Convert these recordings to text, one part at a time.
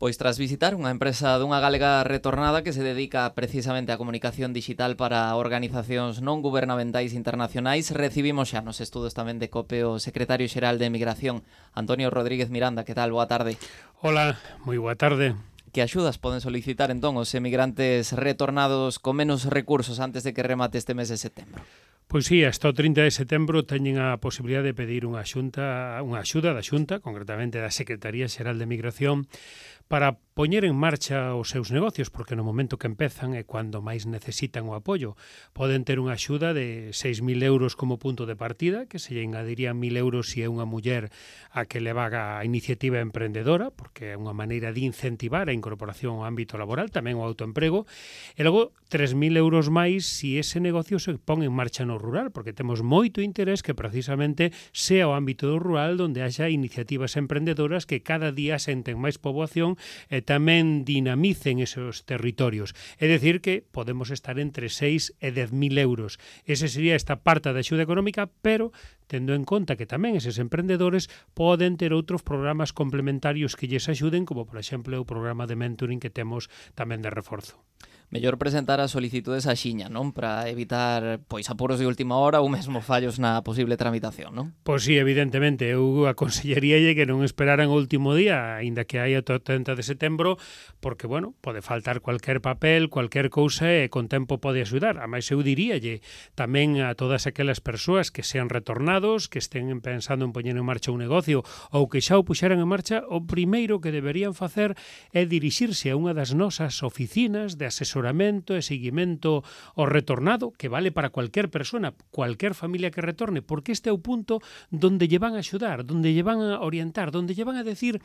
Pois tras visitar unha empresa dunha galega retornada que se dedica precisamente á comunicación digital para organizacións non gubernamentais internacionais, recibimos xa nos estudos tamén de COPE o secretario xeral de Emigración, Antonio Rodríguez Miranda. Que tal? Boa tarde. Hola, moi boa tarde. Que axudas poden solicitar entón os emigrantes retornados con menos recursos antes de que remate este mes de setembro? Pois sí, hasta o 30 de setembro teñen a posibilidade de pedir unha axuda da Xunta, concretamente da Secretaría Xeral de Emigración, para poñer en marcha os seus negocios, porque no momento que empezan é cando máis necesitan o apoio. Poden ter unha axuda de 6.000 euros como punto de partida, que se lle engadirían 1.000 euros se é unha muller a que le vaga a iniciativa emprendedora, porque é unha maneira de incentivar a incorporación ao ámbito laboral, tamén o autoemprego, e logo 3.000 euros máis se ese negocio se pon en marcha no rural, porque temos moito interés que precisamente sea o ámbito do rural onde haxa iniciativas emprendedoras que cada día senten máis poboación e tamén dinamicen esos territorios. É dicir que podemos estar entre 6 e 10.000 euros. Ese sería esta parte da axuda económica, pero tendo en conta que tamén eses emprendedores poden ter outros programas complementarios que lles axuden, como por exemplo o programa de mentoring que temos tamén de reforzo. Mellor presentar as solicitudes a xiña, non? Para evitar pois apuros de última hora ou mesmo fallos na posible tramitación, non? Pois sí, evidentemente, eu aconsellaríalle que non esperaran o último día, aínda que hai o 30 de setembro, porque, bueno, pode faltar cualquier papel, cualquier cousa e con tempo pode axudar. Ademais, eu diríalle tamén a todas aquelas persoas que sean retornados, que estén pensando en poñer en marcha un negocio ou que xa o puxeran en marcha, o primeiro que deberían facer é dirixirse a unha das nosas oficinas de asesoramento e seguimento ao retornado, que vale para cualquier persona, cualquier familia que retorne, porque este é o punto donde lle van a axudar, donde lle van a orientar, donde lle van a decir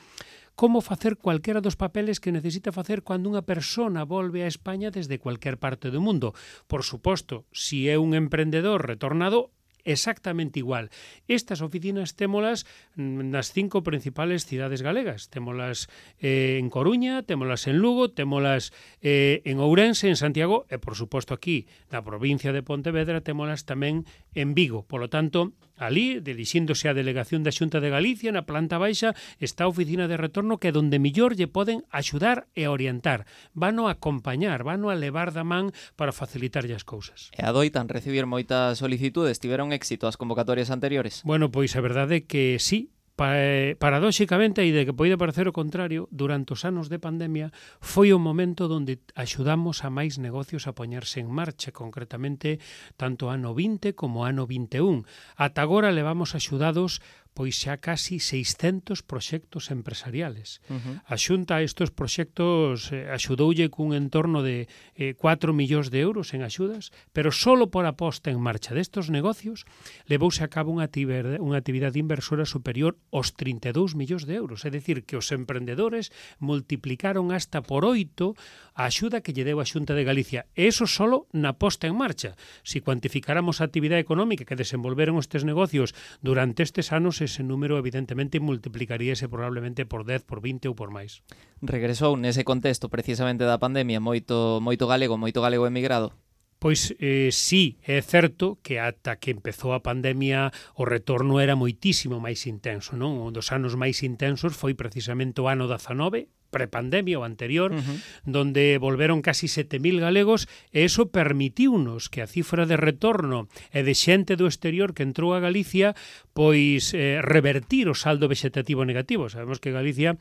como facer cualquera dos papeles que necesita facer cando unha persona volve a España desde cualquier parte do mundo. Por suposto, si é un emprendedor retornado, exactamente igual. Estas oficinas témolas nas 5 principales cidades galegas. Témolas en Coruña, témolas en Lugo, témolas en Ourense, en Santiago e, por suposto, aquí na provincia de Pontevedra, témolas tamén en Vigo. Polo tanto, ali, dirixíndose á delegación da Xunta de Galicia, na planta baixa, está a oficina de retorno que é donde millor lle poden axudar e orientar. Vano a acompañar, vano a levar da man para facilitarlle as cousas. E adoitan recibir moitas solicitudes? Tiveron éxito as convocatorias anteriores? Bueno, pois a verdade é que sí. Paradóxicamente, e de que pode parecer o contrario, durante os anos de pandemia foi o momento onde axudamos a máis negocios a poñerse en marcha, concretamente tanto ano 20 como ano 21. Ata agora levamos axudados pois xa casi 600 proxectos empresariales. A Xunta a estes proxectos axudoulle cun entorno de 4 millóns de euros en axudas, pero solo por a posta en marcha destes negocios levouse a cabo unha actividade inversora superior aos 32 millóns de euros. É dicir, que os emprendedores multiplicaron hasta por 8 a axuda que lle deu a Xunta de Galicia. E iso solo na posta en marcha. Si cuantificáramos a actividade económica que desenvolveron estes negocios durante estes anos, ese número evidentemente multiplicaríase probablemente por 10, por 20 ou por máis. Regresou nese contexto precisamente da pandemia moito galego emigrado? Pois sí, é certo que ata que empezou a pandemia o retorno era moitísimo máis intenso, non? Un dos anos máis intensos foi precisamente o ano 19, prepandemia o anterior, donde volveron casi 7.000 galegos e eso permitiunos que a cifra de retorno e de xente do exterior que entrou a Galicia pois revertir o saldo vexetativo negativo. Sabemos que Galicia,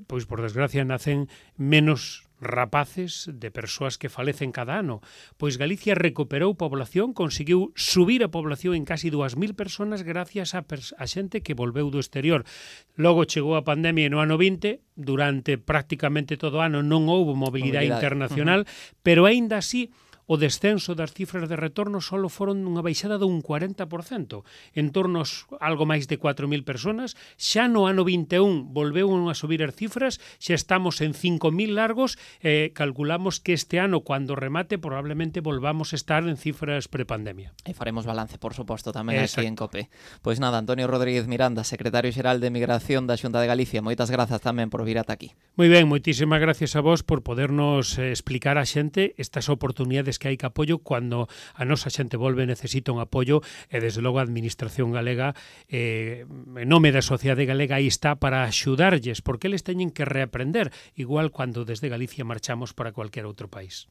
pois por desgracia, nacen menos rapaces de persoas que falecen cada ano. Pois Galicia recuperou población, conseguiu subir a población en casi 2.000 personas gracias a xente que volveu do exterior. Logo chegou a pandemia no ano 20, durante prácticamente todo o ano non houbo mobilidade internacional, pero aínda así o descenso das cifras de retorno só foron unha baixada dun 40%, en torno a algo máis de 4.000 personas. Xa no ano 21 volveu a subir as cifras, xa estamos en 5.000 largos, calculamos que este ano, cando remate, probablemente volvamos a estar en cifras prepandemia. E faremos balance, por suposto, tamén aquí en COPE. Pois nada, Antonio Rodríguez Miranda, secretario xeral de Emigración da Xunta de Galicia, moitas grazas tamén por vir ata aquí. Moi ben, moitísimas gracias a vos por podernos explicar a xente estas oportunidades veces que hai que apoio cando a nosa xente volve necesita un apoio e desde logo a Administración galega en nome da sociedade galega aí está para axudarlles porque eles teñen que reaprender igual cando desde Galicia marchamos para cualquier outro país.